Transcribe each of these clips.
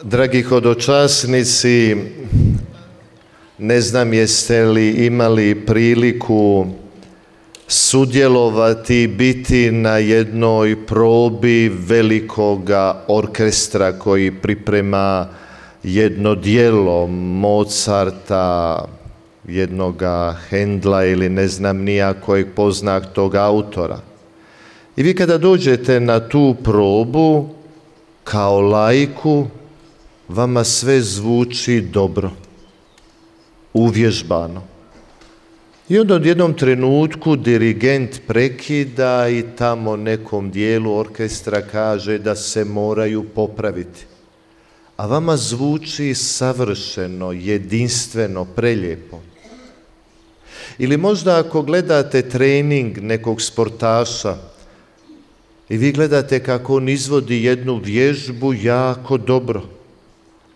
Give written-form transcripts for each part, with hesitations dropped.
Dragi hodočasnici, ne znam jeste li imali priliku sudjelovati, biti na jednoj probi velikoga orkestra koji priprema jedno djelo Mozarta, jednoga Hendla ili ne znam nija kojeg pozna tog autora. I vi kada dođete na tu probu kao laiku, vama sve zvuči dobro, uvježbano. I onda u jednom trenutku dirigent prekida i tamo nekom dijelu orkestra kaže da se moraju popraviti. A vama zvuči savršeno, jedinstveno, prelijepo. Ili možda ako gledate trening nekog sportaša i vi gledate kako on izvodi jednu vježbu jako dobro,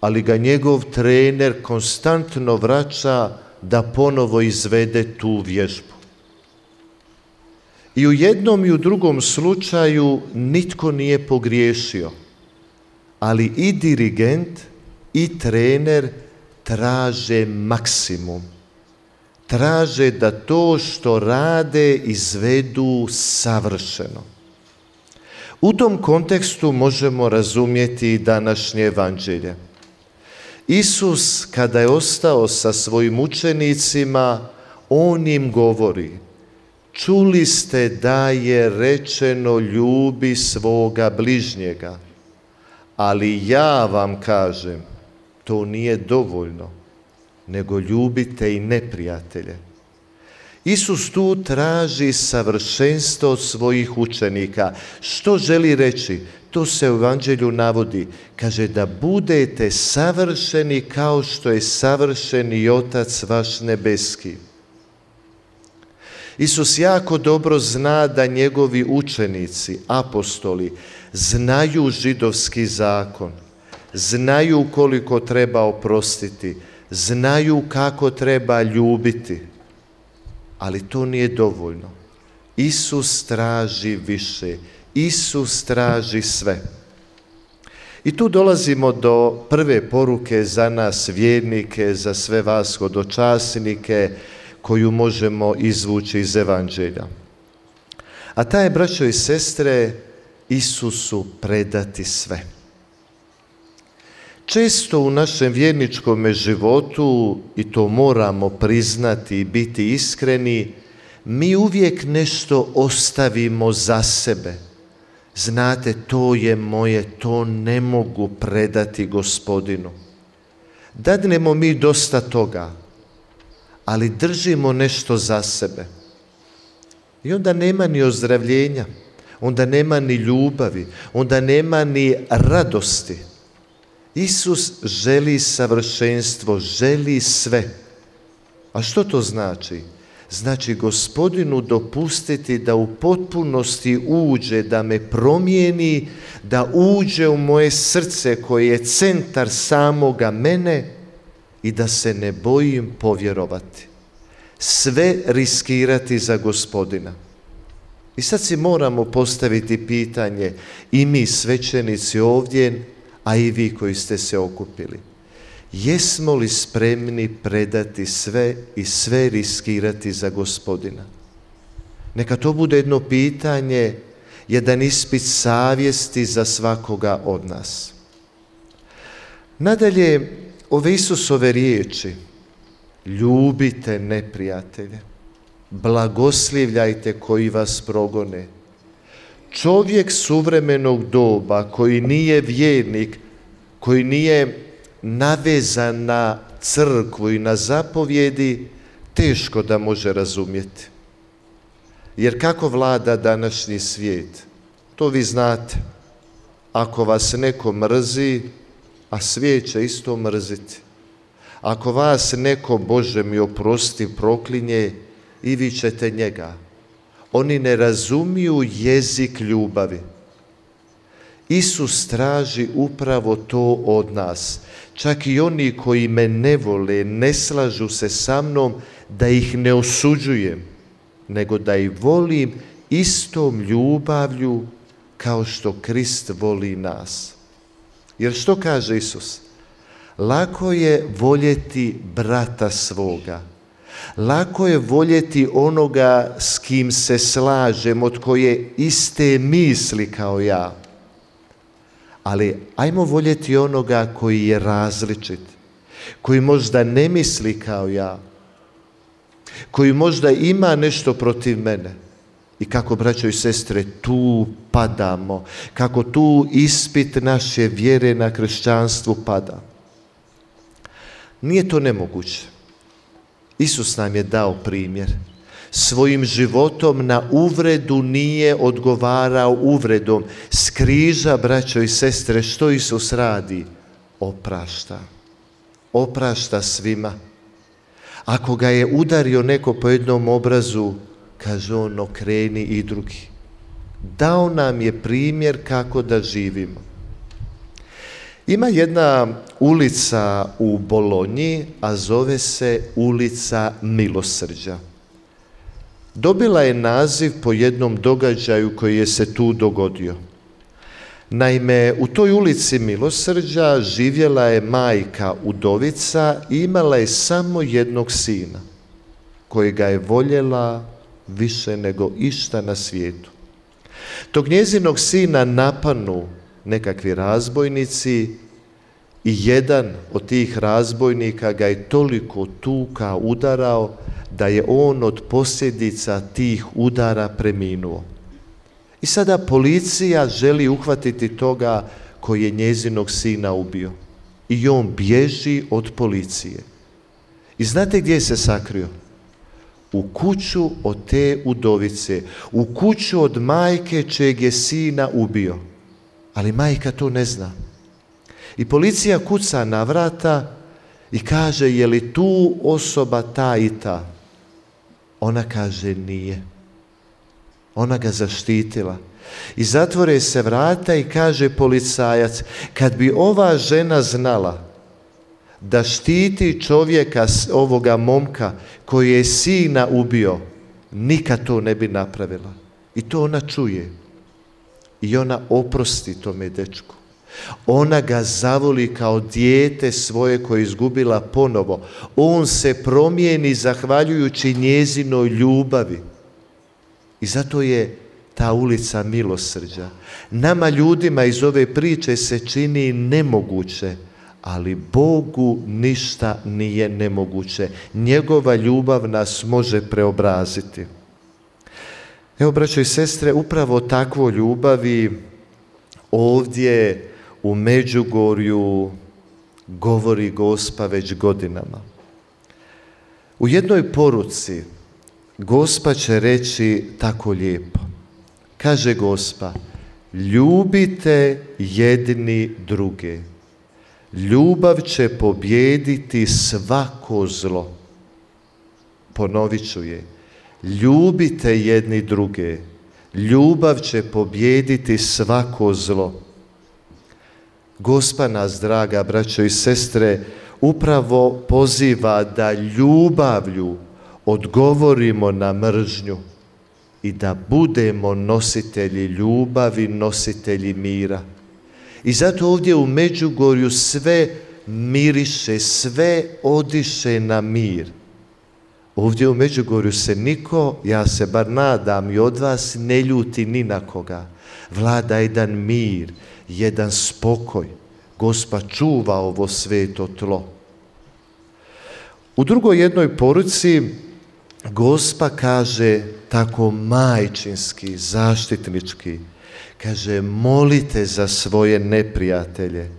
ali ga njegov trener konstantno vraća da ponovo izvede tu vježbu. I u jednom i u drugom slučaju nitko nije pogriješio, ali i dirigent i trener traže maksimum. Traže da to što rade izvedu savršeno. U tom kontekstu možemo razumjeti i današnje evanđelje. Isus, kada je ostao sa svojim učenicima, on im govori: čuli ste da je rečeno ljubi svoga bližnjega, ali ja vam kažem, to nije dovoljno, nego ljubite i neprijatelje. Isus tu traži savršenstvo od svojih učenika. Što želi reći? To se u evanđelju navodi. Kaže da budete savršeni kao što je savršen i Otac vaš nebeski. Isus jako dobro zna da njegovi učenici, apostoli, znaju židovski zakon, znaju koliko treba oprostiti, znaju kako treba ljubiti, ali to nije dovoljno. Isus traži više. Isus traži sve. I tu dolazimo do prve poruke za nas vjernike, za sve vas hodočasnike, koju možemo izvući iz evanđelja. A ta je, braćo i sestre, Isusu predati sve. Često u našem vjerničkom životu, i to moramo priznati i biti iskreni, mi uvijek nešto ostavimo za sebe. Znate, to je moje, to ne mogu predati Gospodinu. Dadnemo mi dosta toga, ali držimo nešto za sebe. I onda nema ni ozdravljenja, onda nema ni ljubavi, onda nema ni radosti. Isus želi savršenstvo, želi sve. A što to znači? Znači Gospodinu dopustiti da u potpunosti uđe, da me promijeni, da uđe u moje srce koje je centar samoga mene i da se ne bojim povjerovati. Sve riskirati za Gospodina. I sad si moramo postaviti pitanje, i mi svećenici ovdje, a i vi koji ste se okupili. Jesmo li spremni predati sve i sve riskirati za Gospodina? Neka to bude jedno pitanje, jedan ispit savjesti za svakoga od nas. Nadalje, ove Isusove riječi: ljubite neprijatelje, blagoslivljajte koji vas progone. Čovjek suvremenog doba koji nije vjernik, koji nije navezan na crkvu i na zapovjedi, teško da može razumjeti. Jer kako vlada današnji svijet? To vi znate. Ako vas neko mrzi, a svijet će isto mrziti. Ako vas neko, Bože mi oprosti, proklinje, i vi ćete njega. Oni ne razumiju jezik ljubavi. Isus traži upravo to od nas. Čak i oni koji me ne vole, ne slažu se sa mnom, da ih ne osuđujem, nego da ih volim istom ljubavlju kao što Krist voli nas. Jer što kaže Isus? Lako je voljeti brata svoga. Lako je voljeti onoga s kim se slažem, od koje iste misli kao ja. Ali ajmo voljeti onoga koji je različit, koji možda ne misli kao ja, koji možda ima nešto protiv mene. I kako, braćo i sestre, tu padamo, kako tu ispit naše vjere na kršćanstvu pada. Nije to nemoguće. Isus nam je dao primjer. Svojim životom na uvredu nije odgovarao uvredom. S križa, braćo i sestre, što Isus radi? Oprašta. Oprašta svima. Ako ga je udario neko po jednom obrazu, kaže on, okreni i drugi. Dao nam je primjer kako da živimo. Ima jedna ulica u Bolonji, a zove se ulica Milosrđa. Dobila je naziv po jednom događaju koji je se tu dogodio. Naime, u toj ulici Milosrđa živjela je majka udovica i imala je samo jednog sina, kojega je voljela više nego išta na svijetu. Tog njezinog sina napanu nekakvi razbojnici i jedan od tih razbojnika ga je toliko tuka, udarao, da je on od posljedica tih udara preminuo. I sada policija želi uhvatiti toga koji je njezinog sina ubio. I on bježi od policije. I znate gdje se sakrio? U kuću od te udovice, u kuću od majke čeg je sina ubio. Ali majka to ne zna. I policija kuca na vrata i kaže, je li tu osoba ta i ta? Ona kaže, nije. Ona ga zaštitila. I zatvore se vrata i kaže policajac, kad bi ova žena znala da štiti čovjeka, ovoga momka koji je sina ubio, nikad to ne bi napravila. I to ona čuje. I ona oprosti tome dečku. Ona ga zavoli kao dijete svoje koje je izgubila ponovo. On se promijeni zahvaljujući njezinoj ljubavi. I zato je ta ulica Milosrđa. Nama ljudima iz ove priče se čini nemoguće, ali Bogu ništa nije nemoguće. Njegova ljubav nas može preobraziti. Evo, braćo i sestre, upravo takvo ljubavi ovdje u Međugorju govori Gospa već godinama. U jednoj poruci Gospa će reći tako lijepo. Kaže Gospa, ljubite jedni druge. Ljubav će pobijediti svako zlo. Ponovit ću je. Ljubite jedni druge. Ljubav će pobijediti svako zlo. Gospa nas, draga braćo i sestre, upravo poziva da ljubavlju odgovorimo na mržnju i da budemo nositelji ljubavi, nositelji mira. I zato ovdje u Međugorju sve miriše, sve odiše na mir. Ovdje u Međugorju se niko, ja se bar nadam i od vas, ne ljuti ni na koga. Vlada jedan mir, jedan spokoj. Gospa čuva ovo sveto tlo. U drugoj jednoj poruci Gospa kaže tako majčinski, zaštitnički, kaže, molite za svoje neprijatelje.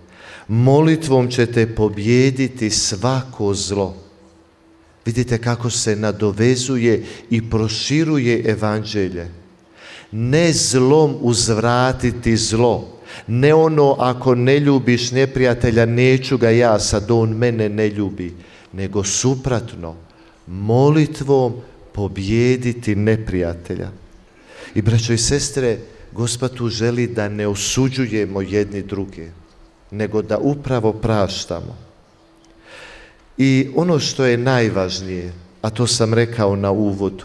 Molitvom ćete pobijediti svako zlo. Vidite kako se nadovezuje i proširuje evanđelje. Ne zlom uzvratiti zlo. Ne ono, ako ne ljubiš neprijatelja, neću ga ja, sad on mene ne ljubi. Nego suprotno, molitvom pobijediti neprijatelja. I braćo i sestre, Gospa tu želi da ne osuđujemo jedni druge, nego da upravo praštamo. I ono što je najvažnije, a to sam rekao na uvodu,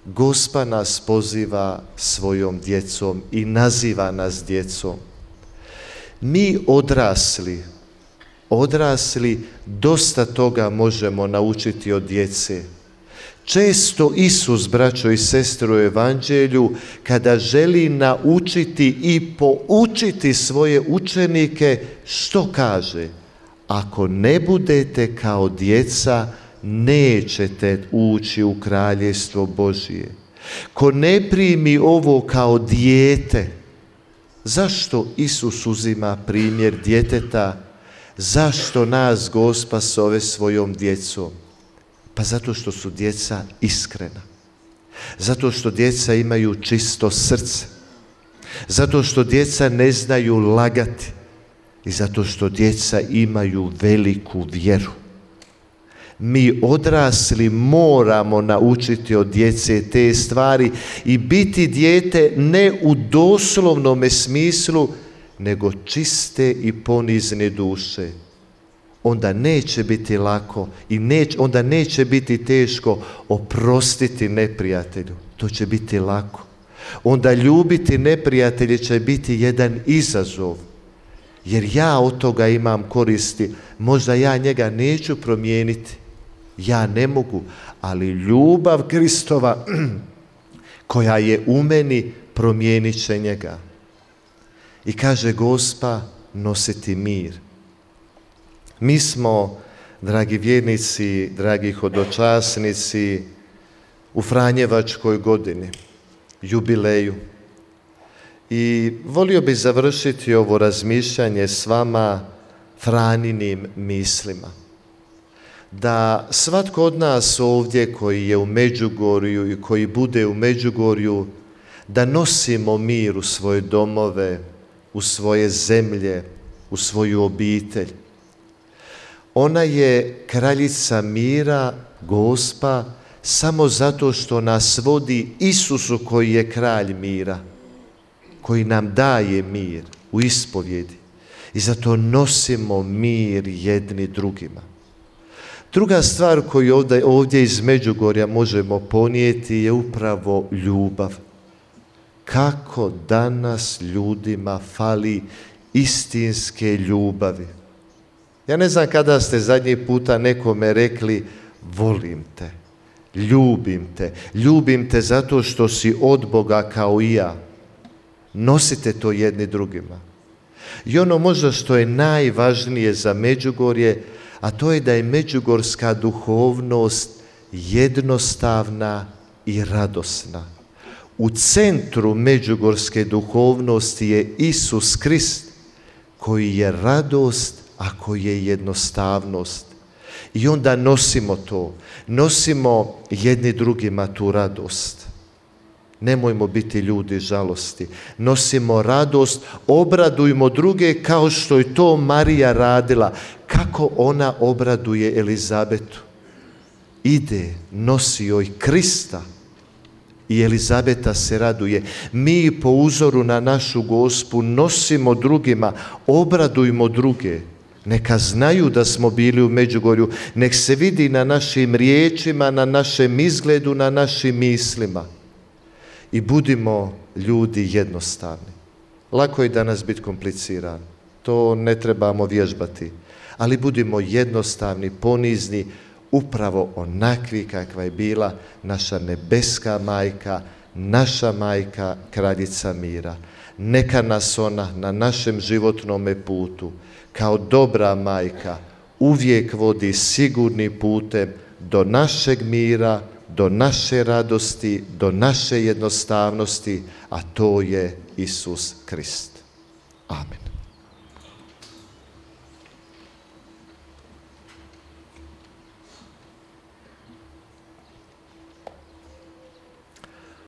Gospa nas poziva svojom djecom i naziva nas djecom. Mi odrasli dosta toga možemo naučiti od djece. Često Isus, braćo i sestre, u Evanđelju, kada želi naučiti i poučiti svoje učenike, što kaže? Ako ne budete kao djeca, nećete ući u kraljevstvo Božije. Ko ne primi ovo kao dijete, zašto Isus uzima primjer djeteta? Zašto nas Gospa zove svojom djecom? Pa zato što su djeca iskrena. Zato što djeca imaju čisto srce. Zato što djeca ne znaju lagati. I zato što djeca imaju veliku vjeru. Mi odrasli moramo naučiti od djece te stvari i biti dijete ne u doslovnome smislu, nego čiste i ponizne duše. Onda neće biti lako i onda neće biti teško oprostiti neprijatelju. To će biti lako. Onda ljubiti neprijatelje će biti jedan izazov. Jer ja od toga imam koristi. Možda ja njega neću promijeniti. Ja ne mogu. Ali ljubav Kristova koja je u meni promijenit će njega. I kaže Gospa, nositi mir. Mi smo, dragi vjernici, dragi hodočasnici, u Franjevačkoj godini, jubileju. I volio bih završiti ovo razmišljanje s vama Franinim mislima. Da svatko od nas ovdje koji je u Međugorju i koji bude u Međugorju, da nosimo mir u svoje domove, u svoje zemlje, u svoju obitelj. Ona je kraljica mira, Gospa, samo zato što nas vodi Isusu koji je kralj mira, koji nam daje mir u ispovjedi. I zato nosimo mir jedni drugima. Druga stvar koju ovdje iz Međugorja možemo ponijeti je upravo ljubav. Kako danas ljudima fali istinske ljubavi. Ja ne znam kada ste zadnji puta nekome rekli volim te, ljubim te zato što si od Boga kao i ja. Nosite to jedni drugima. I ono možda što je najvažnije za Međugorje, a to je da je međugorska duhovnost jednostavna i radosna. U centru međugorske duhovnosti je Isus Krist, koji je radost, a koji je jednostavnost. I onda nosimo to, nosimo jedni drugima tu radost. Nemojmo biti ljudi žalosti. Nosimo radost, obradujmo druge kao što je to Marija radila. Kako ona obraduje Elizabetu. Ide, nosi joj Krista. I Elizabeta se raduje. Mi po uzoru na našu Gospu nosimo drugima, obradujmo druge. Neka znaju da smo bili u Međugorju. Nek se vidi na našim riječima, na našem izgledu, na našim mislima. I budimo ljudi jednostavni. Lako je danas biti kompliciran. To ne trebamo vježbati. Ali budimo jednostavni, ponizni, upravo onakvi kakva je bila naša nebeska majka, naša majka, kraljica mira. Neka nas ona na našem životnome putu, kao dobra majka, uvijek vodi sigurnim putem do našeg mira, do naše radosti, do naše jednostavnosti, a to je Isus Krist. Amen.